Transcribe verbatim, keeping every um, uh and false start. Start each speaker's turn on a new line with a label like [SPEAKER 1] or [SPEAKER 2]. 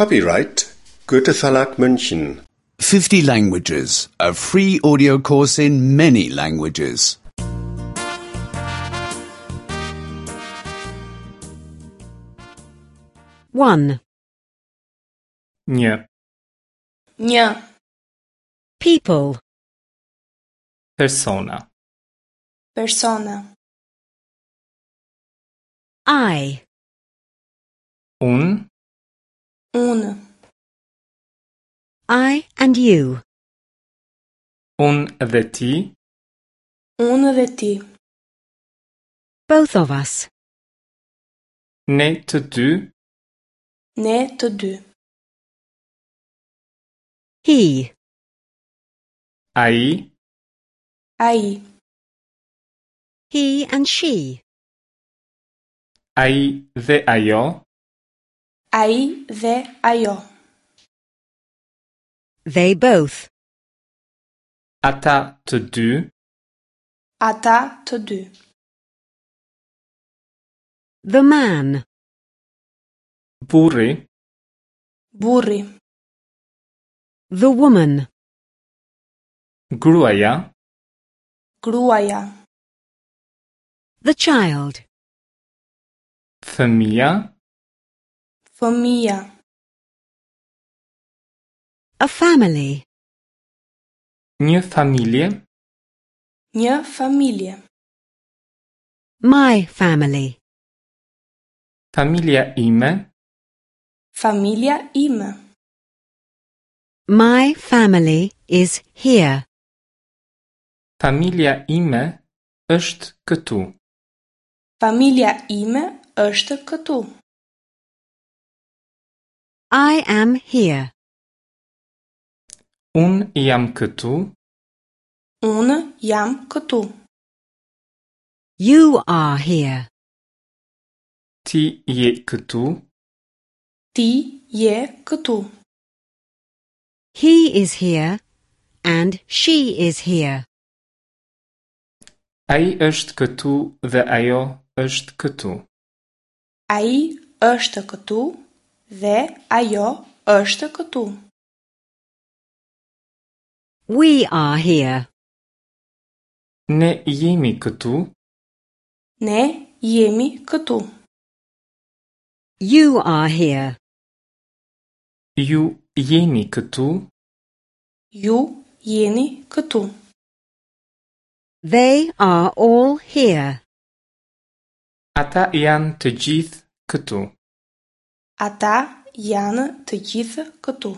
[SPEAKER 1] Copyright Goethe Verlag München.
[SPEAKER 2] fifty Languages, a free audio course in many languages.
[SPEAKER 3] one.
[SPEAKER 4] Një
[SPEAKER 5] Një
[SPEAKER 3] People.
[SPEAKER 4] persona.
[SPEAKER 5] Persona.
[SPEAKER 3] I.
[SPEAKER 4] Unë,
[SPEAKER 5] Unë.
[SPEAKER 3] I and you.
[SPEAKER 4] Unë dhe ti,
[SPEAKER 5] Unë dhe ti.
[SPEAKER 3] Both of us.
[SPEAKER 4] Ne të dy,
[SPEAKER 5] Ne të dy.
[SPEAKER 3] He.
[SPEAKER 4] Ai,
[SPEAKER 5] Ai.
[SPEAKER 3] He and she.
[SPEAKER 4] Ai dhe ajo,
[SPEAKER 5] Ai dhe ajo.
[SPEAKER 3] They both.
[SPEAKER 4] Ata të dy,
[SPEAKER 5] Ata të dy.
[SPEAKER 3] The man.
[SPEAKER 4] Burri,
[SPEAKER 5] Burri.
[SPEAKER 3] The woman.
[SPEAKER 4] Gruaja,
[SPEAKER 5] Gruaja.
[SPEAKER 3] The child.
[SPEAKER 4] Fëmija,
[SPEAKER 5] Fëmija.
[SPEAKER 3] A family.
[SPEAKER 4] Një familje,
[SPEAKER 5] Një familje.
[SPEAKER 3] My family.
[SPEAKER 4] Familja ime,
[SPEAKER 5] Familja ime.
[SPEAKER 3] My family is here.
[SPEAKER 4] Familja ime është këtu.
[SPEAKER 5] Familja ime është këtu.
[SPEAKER 3] I am here.
[SPEAKER 4] Unë jam këtu,
[SPEAKER 5] Unë jam këtu.
[SPEAKER 3] You are here.
[SPEAKER 4] Ti je këtu,
[SPEAKER 5] Ti je këtu.
[SPEAKER 3] He is here and she is here.
[SPEAKER 4] Ai është këtu dhe ajo është këtu.
[SPEAKER 5] Ai është këtu dhe ajo është këtu.
[SPEAKER 3] We are here.
[SPEAKER 4] Ne jemi këtu,
[SPEAKER 5] Ne jemi këtu.
[SPEAKER 3] You are here.
[SPEAKER 4] Ju jeni këtu,
[SPEAKER 5] Ju jeni këtu.
[SPEAKER 3] They are all here.
[SPEAKER 4] Ata janë të gjithë këtu.
[SPEAKER 5] Ata janë të gjithë këtu.